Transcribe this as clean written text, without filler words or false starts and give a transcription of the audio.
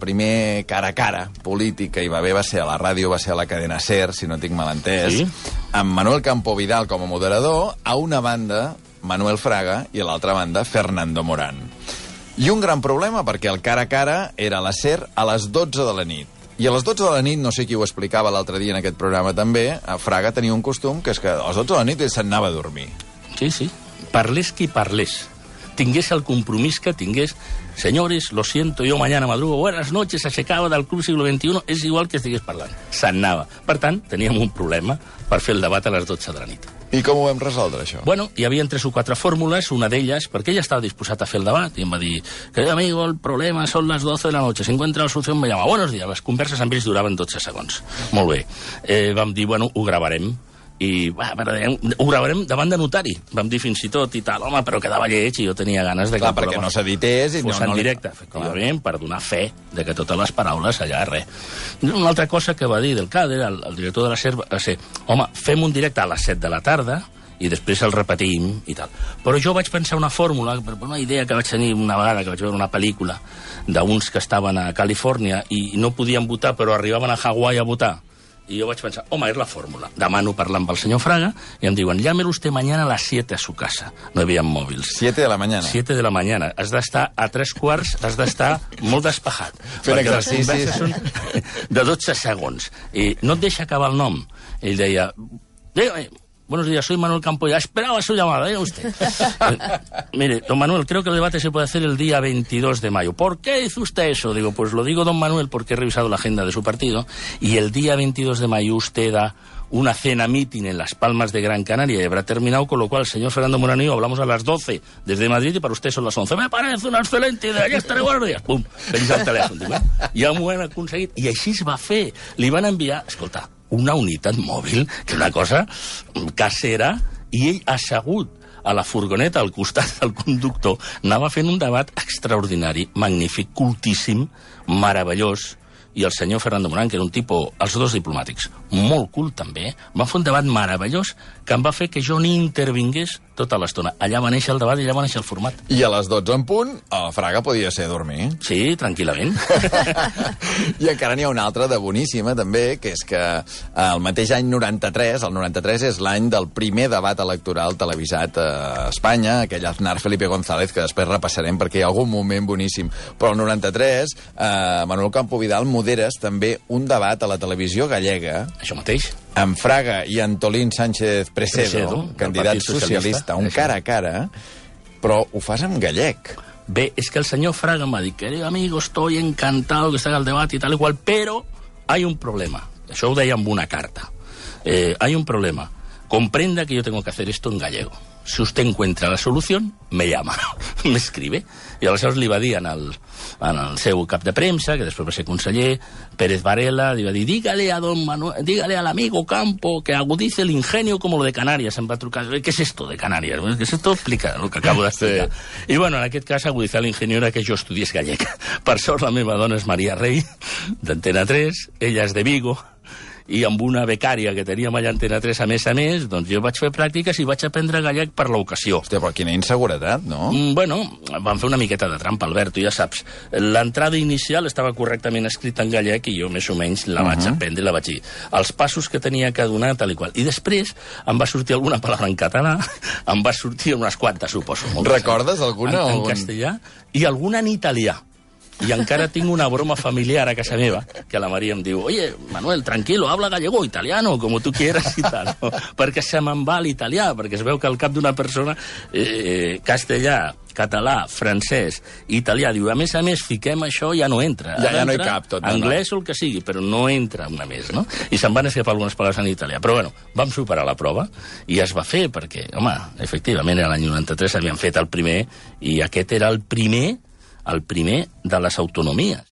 primer cara a cara polític que hi va haver va ser a la ràdio, va ser a la cadena SER, si no tinc mal entès, Sí. amb Manuel Campo Vidal com a moderador, a una banda Manuel Fraga i a l'altra banda Fernando Morán. I un gran problema, perquè el cara a cara era a la SER a les 12 de la nit. I a les 12 de la nit, no sé qui ho explicava l'altre dia en aquest programa també, a Fraga tenia un costum que és que a les 12 de la nit ell se'n anava a dormir. Sí, sí. Parlés qui parlés. Tingués el compromís que tingués. Señores, lo siento, yo mañana madrugo. Buenas noches, aixecava del Club Siglo XXI. És igual que estigués parlant. Se'n anava. Per tant, teníem un problema per fer el debat a les 12 de la nit. I com ho vam resoldre, això? Bueno, hi havia 3 o 4 fórmules, una d'elles, perquè ell estava disposat a fer el debat, i em va dir, querido amigo, el problema son las 12 de la noche, si encuentra la solución me llama. Buenos días, les converses amb ells duraven 12 segons. Molt bé. Vam dir, bueno, ho gravarem. I ho gravarem davant de notari. Vam dir fins i tot i tal, home, però quedava lleig i jo tenia ganes de que... Clar, perquè no s'edités i fos en directe, efectivament, per donar fe de que totes les paraules allà, res. Una altra cosa que va dir del CADER, el director de la SER, va ser, home, fem un directe a les 7 de la tarda i després el repetim i tal. Però jo vaig pensar una fórmula, una idea que vaig tenir una vegada, que vaig veure una pel·lícula d'uns que estaven a Califòrnia i no podien votar, però arribaven a Hawaii a votar. Y yo vaig pensar, home, és la fórmula. Demano parlar amb el senyor Fraga i em diuen, llámelo usted mañana a las 7 a su casa. No hi havia mòbils. 7 de la mañana. 7 de la mañana. Has d'estar a 3:15, has d'estar molt despejat. Fent exercicis. Les converses són de 12 segons. I no et deixa acabar el nom. Ell deia, buenos días, soy Manuel Campo. Esperaba su llamada, ¿eh? Usted. Mire, don Manuel, creo que el debate se puede hacer el día 22 de mayo. ¿Por qué hizo usted eso? Digo, pues lo digo, don Manuel, porque he revisado la agenda de su partido y el día 22 de mayo usted da una cena meeting en Las Palmas de Gran Canaria y habrá terminado, con lo cual el señor Fernando Morán y yo hablamos a las 12 desde Madrid y para usted son las 11. Me parece una excelente idea, ja estaré, buenos días. Pum, penja el telèfon. Dic, ja m'ho han aconseguit. I així es va fer. Li van enviar, escolta, una unitat mòbil, que és una cosa casera, i ell assegut a la furgoneta al costat del conductor anava fent un debat extraordinari, magnífic, cultíssim, meravellós, i el senyor Fernando Morán, que era un tipus, els dos diplomàtics, molt cult també, van fer un debat meravellós que em va fer que jo ni intervingués tota l'estona. Allà va néixer el debat i allà va néixer el format. I a les 12 en punt, el Fraga podia ser a dormir. Sí, tranquil·lament. I encara n'hi ha una altra de boníssima, també, que és que el mateix any 93, el 93 és l'any del primer debat electoral televisat a Espanya, aquell Aznar Felipe González, que després repassarem perquè hi ha algun moment boníssim. Però el 93, Manuel Campo Vidal moderes també un debat a la televisió gallega. Això mateix. Amb Fraga i Antolín Sánchez Presedo, candidat socialista, un cara a cara, però ho fas en gallec. Bé, és que el senyor Fraga em va dir, querido amigo, estoy encantado que se haga el debate y tal y cual, pero hay un problema. Això ho deia amb una carta. Hay un problema. Comprenda que yo tengo que hacer esto en gallego. Si usted encuentra la solución, me llama, me escribe. I aleshores li va dir en el seu cap de premsa, que després va ser conseller, Pérez Varela, li va dir, dígale a don Manuel, dígale al amigo Campo que agudice el ingenio como lo de Canarias. Em va trucar, ¿qué es esto de Canarias? ¿Qué es esto? Explica el que acabo d'explicar. Sí. I bueno, en aquest cas, agudizar l'ingenio era que jo estudiés gallec. Per sort, la meva dona és Maria Rey, d'Antena 3, ella és de Vigo, i amb una becària que teníem allà a Antena 3 a més, doncs jo vaig fer pràctiques i vaig aprendre gallec per l'ocasió. Hòstia, però quina inseguretat, no? Bueno, vam fer una miqueta de trampa, Albert, tu ja saps. L'entrada inicial estava correctament escrita en gallec i jo més o menys la vaig aprendre i la vaig dir. Els passos que tenia que donar, tal i qual. I després em va sortir alguna paraula en català, em va sortir unes quantes, suposo. Recordes alguna? En castellà i alguna en italià. I encara tinc una broma familiar a casa meva, que la Maria em diu, oye, Manuel, tranquilo, habla gallego, italiano, como tú quieras i tal. No? Perquè se me'n va l'italià, perquè es veu que al cap d'una persona castellà, català, francès, italià, diu, a més, fiquem això, ja no entra. Ja no hi cap tot. Anglès o el que sigui, però no entra una més, no? I se'n van escapar algunes paraules en italià. Però bueno, vam superar la prova i es va fer perquè, home, efectivament, era l'any 93, havíem fet el primer i aquest era el primer de les autonomies.